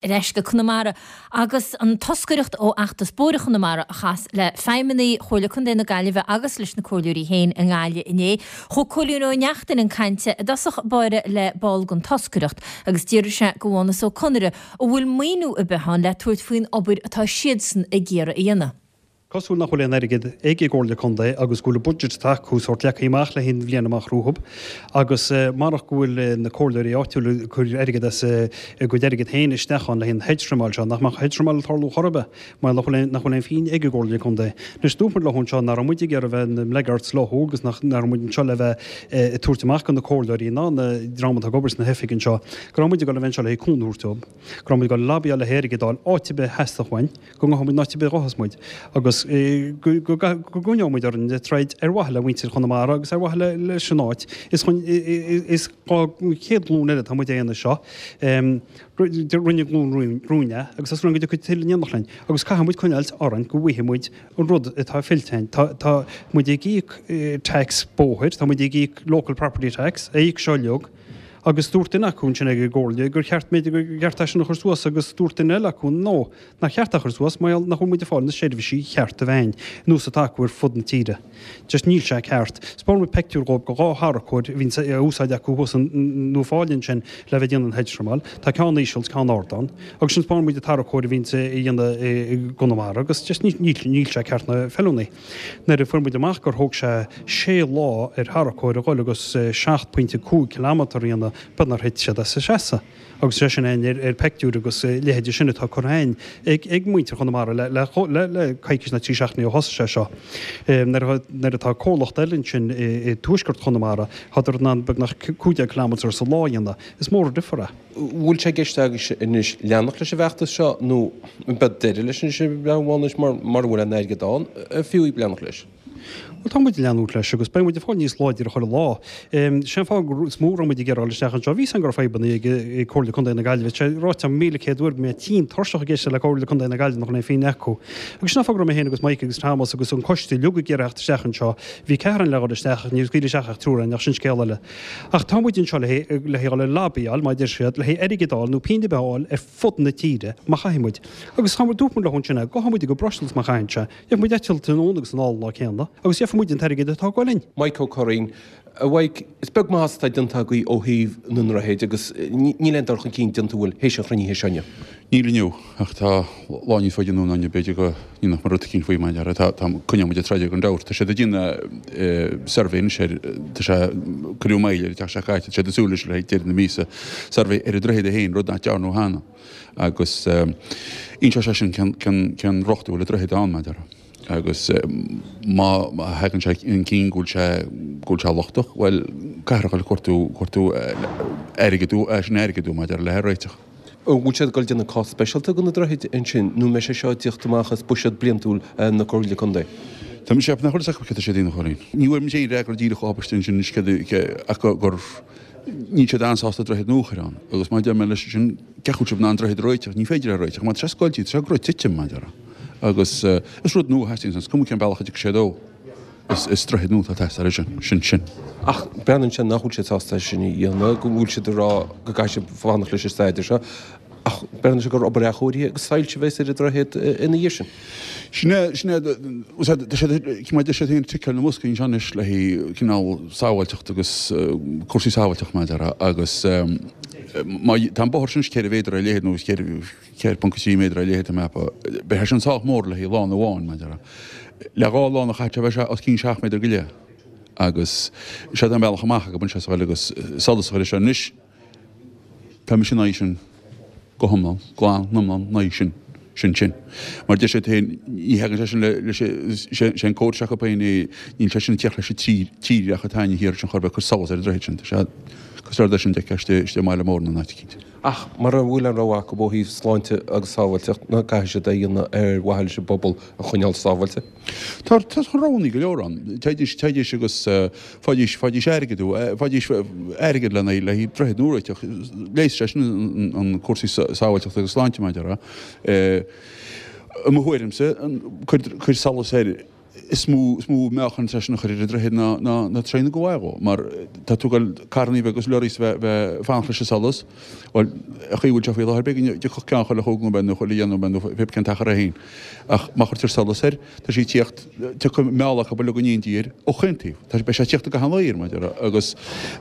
Ar ais go Conamara agus an toscaireacht ó Fheachtas Bóithre Chonamara a chas le feidhmeannaigh Chomhairle Contae na Gaillimhe agus leis na comhairleoirí féin i nGaillimh inné. Chuaigh Cóilín Ó Neachtain chun cainte i dtosach báire le ball den toscaireacht agus d'fhiafraigh sé de Mhánas Ó Conaire an bhfuil maoiniú ar bith ann le tabhairt faoin obair atá siadsan ag iarraidh a dhéanamh. Cosúil nach bhfuil aon airgead ag an gComhairle Contae agus go bhfuil an budget atá acu sórt leagtha amach le haghaidh an bhliain amach rompu agus marach go bhfuil na comhairleoirí áitiúla ag cur airgead as a gcuid airgead féin isteach ann le haghaidh an hedge trimeáil seo, nach mbeadh hedge trimeáil ag tarlú chor ar bith mar nach bhfuil nach bhfuil aon phingin ag an gComhairle Contae. Anois dúirt muid leo anseo nach raibh muid ag iarraidh bheith ina mblackguards leo agus nach raibh muid anseo le bheith ag tabhairt amach do na comhairleoirí ná na dream atá ag obair sna hoifigí anseo go raibh muid ag dul a bheith anseo le haghaidh cúnamh a thabhairt dóibh, go raibh muid ag dul ag lobbyáil le haghaidh airgead a fháil áit ar bith a theastódh uainn. go ngabhfaidh muid in áit ar bith a ghabhfas muid agus go gcoinneoidh muid orainn ag troid ar mhaithe le muintir Chonamara agus ar mhaithe leis an áit. Is chun is don chéad ghlúin eile atá muid á dhéanamh seo. Rinne glúin romhainn é agus tá súil againn go dtiocfaidh tuilleadh in éineacht linn agus caithfidh muid coinneáilt orainn go bhfaighidh muid an rud atá fillte againn. Tá muid ag íoc tax bóthair, tá muid ag íoc local property tax, a íoc seo uilig, agus dúirt duine acu ansin ag an gcomhairle gur cheart b'fhéidir gur cheart é sin a chur suas agus dúirt duine eile acu no, Nár cheart é a chur suas mar gheall nach bhfuil muid ag fáil na seirbhísí chearta ar nós atá acu ar fud na tíre. Just níl sé ceart. 'Spáin muid peictiúr dhóibh de dhá tharracóir a bhíonn á úsáid acu thuas in Uíbh Fhailí ansin le bheith ag déanamh an hedge trimeáil. Tá ceann íseal is ceann ard ann. Agus sin 'spáin muid an tarracóir a bhíonns á dhéanamh i gConamara agus just níl sé ceart ná feiliúnaí. Nuair a fuair muid amach gur thóg sé sé lá ar tharracóir a dhul agus 7.5 kilometre a dhéanamh, b'fhéidir nár thit siad as a seasamh. Agus sé sin againn ar peictiúir agus a leithéide sin atá curtha againn ag muintir Chonamara le coicís nó 3 seachtainí ó thosaigh sé seo. Nuair atá comhlacht eile ansin i dtuaisceart Chonamara, tádar in ann beagnach 15 kilometre sa lá a dhéanamh. Is mór an difear é. Bhfuil sé i gceist agaibhse anois leanacht leis an bhfeachtas seo nó an mbeidh deireadh leis anois ar bhealach mara bhfuil aon airgead ann, fiú leanacht leis? Bhuel, tá muid ag leanúint leis agus beidh muid ag fáil níos láidre chuile lá. Sé an fáth is mó a raibh muid ag iarraidh dul isteach anseo, bhí a fhios againn go raibh fadhbanna ag Comhairle Contae na Gaillimhe. Tá sé ráite agam 1,100 uair go mbeidh tinn tuirseach ag éisteacht le Comhairle Contae na Gaillimhe nach bhfuil aon phingin acu. Agus sin an fáth go raibh mé féin agus Mike agus Thomas agus an coiste uilig ag iarraidh theacht isteach anseo. Bhí ceathrar againn le dhul isteach ach níor scaoileadh isteach ach triúr againn ach sin scéal eile. Ach tá muid anseo le le dhul ag lobbyáil, mar a deir siad, le haghaidh airgead a fháil nó pingin ar bith a fháil ar fud na tíre má chaithfidh muid. Agus tá muid, dúirt muid leo ansin é, gabhfaidh muid go Brussels má chaitheann sé. Gheobhaidh muid eitilt anonn agus anall an lá céanna agus gheobhaidh muid an t-airgead atá ag goil linn. Mike Ó Curraoin, A Mhaidhc, is beag maitheas atá déanta agaibh ó thaobh na ndroichead agus níl aon dul chun cinn déanta an bhfuil théis an chruinnithe seo inniu. Níl inniu, ach tá lá níos faide anonn inniu, b'fhéidir go ndéanfadh muid rud eicínt faoi mar tá, tá, coinneoidh muid ag troid gan dabht. Tá siad ag déanamh suirbhé anois ar, tá sé, cuireadh moill air an tseachtain seo caite, tá siad ag súil leis le haghaidh deireadh na míosa, suirbhé ar an droichead é féin, rud nach dearnadh cheana. Agus inseoidh sé sin cén riocht a bhfuil an droichead ann, mar a déarfá. Agus má thagann sé chun cinn go bhfuil sé, go bhfuil sé lochtach, bhuel, caithfear a dhul ag cuartú, cuartú airgead, sin airgead, mar a déarfá, le é a réiteach. An bhfuil siad ag dul déanamh cás speisialta do na droichid ansin nó an mbeidh sé seo ag tíocht amach as buiséad bliantúil na Comhairle Contae? Tá mise ag ceapadh nach bhfuil fhios acu céard atá siad a dhéanamh, a Chóilín. Ní bhfuair mise aon fhreagra díreach ó Abaiste ansin anois céard ach gur Níl siad an-sásta droichead nua a chur ann agus mar a deir mé leis sin, cén chaoi a bhfuil sibh in ann droichead a réiteach, ní féidir é a réiteach mar tá sé scoilte, tá sé ag rith titim, mar a déarfá. Agus is rud nua a theastaíonns ann, is cuma cén bealach a dtiocfaidh sé dó, is droichead nua atá ag teastáil ansin, sin sin. Ach breathnaíonn sé nach bhfuil siad sásta é sin a dhéanamh, go bhfuil siad ag rá go gcaithfidh sibh fanacht leis an staidéar seo. Ach breathnaíonn sé gur obair athchóirithe agus soilse a bheas ar an droichead ina dhiaidh sin. Sin é, sin é, tá siad, mar a deir siad féin, ticeáil na mboscaí anseo anois le haghaidh cineál sábháilteacht agus cúrsaí sábháilteachta mar a déarfá agus má, tá an bóthar sin 4 mhéadar ar leithead nó 4.3 méadar ar leithead tá mé ag ceapadh, beidh sé sin sách mór le haghaidh lána amháin mar a déarfá. Le dhá lána chaithfidh sé bheith sé os cionn 7 méadar go leith agus sé an bealach amach acu anseo sa bhaile agus solas a chur air seo anois. Tá mise in aghaidh sin go hiomlán, glan, iomlán in aghaidh sin, sin, sin. Mar deir siad féin, ní thagann sé sin le, leis, sé, sé an comhartha acu féin é, níl sé sin ag tíocht leis an tír, tírdhreach atá againne thiar ansin chor ar bith, cur solas ar an droichead sin. Tá sé cosúil leis an deich istigh, istigh i mbaile mór nó in áit eicínt. Ach mura bhfuil aon rogha acu ó thaobh sláinte agus sábháilteacht, ná caithfidh siad é a dhéanamh ar mhaithe leis an bpobal a choinneáil sábháilte? Tá, tá roghanna go leor ann. Téidís, téidís agus faighidís, faighidís airgead, faighidís airgead lena, le haghaidh droichead nua a réiteach. Leigheasfaidh sé sin an cúrsaí sábháilteachta agus sláinte, mar a déarfá. I mo thuairimse, cuir, cuir solas air. Is mó is mó meáchan atá sin a chur ar an droichead ná ná ná traein ag gabháil dhó mar tá tú ag dul carrannaí beaga agus lorries bheith bheith fanacht leis an solas. Bhuel, an chaoi a bhfuil sé faoi láthair b'éigean dtiocfadh ceann chuile chúig nóiméad nó chuile dheich nóiméad nó pé cén t-achar é féin. Ach má chuirtear solas air, tá sé ag tíocht, tiocfaidh meall acu uilig in éindí air ó chaon taobh. Tá, beidh sé ag tíocht i gcaitheamh an lae air, mar a déarfá. Agus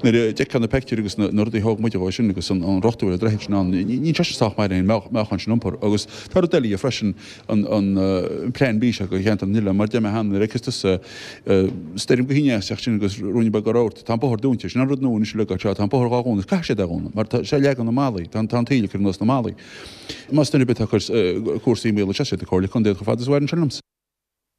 nuair a d'fheicfeá na peictiúirí agus na rudaí a thóg muid dhó sin agus an riocht a bhfuil an droichead sin ann, níl sé sin sách maith le an meáchan sin a iompar. Agus tá rud eile dhe freisin, an Plean B seo do cheantar na nOileán, mar a deir mé cheana, nuair a fheiceas tusa stoirm go thine as teacht sin agus ruainne beag rabharta, tá an bóthar dúnta. Sin an rud nua anois uilig anseo, tá an bóthar dhá dhúnadh, caithfidh siad é a dhúnadh mar tá sé ag leagan na mballaí, tá an taoille ag cur anuas na mballaí. Más duine ar bith atá ag cur cúrsaí i mbaol, is é siad na Comhairle Contae chomh fada is a bhaineann sin liomsa.